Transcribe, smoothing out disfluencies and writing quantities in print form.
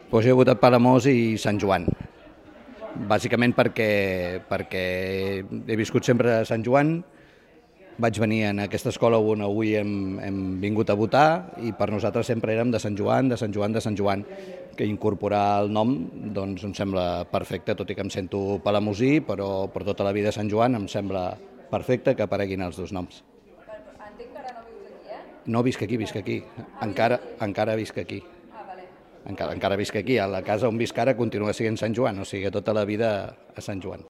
Doncs jo he votat Palamós i Sant Joan, bàsicament perquè he viscut sempre a Sant Joan, vaig venir en aquesta escola on avui hem vingut a votar i per nosaltres sempre érem de Sant Joan, de Sant Joan, de Sant Joan, que incorporar el nom doncs em sembla perfecte, tot i que em sento palamosí, però per tota la vida Sant Joan em sembla perfecte que apareguin els dos noms. Entenc que ara no vius aquí, eh? No visc aquí, visc aquí. Encara visc aquí. Ah, vale. Encara visc aquí. A la casa on visc ara continua sent Sant Joan, o sigui, tota la vida a Sant Joan.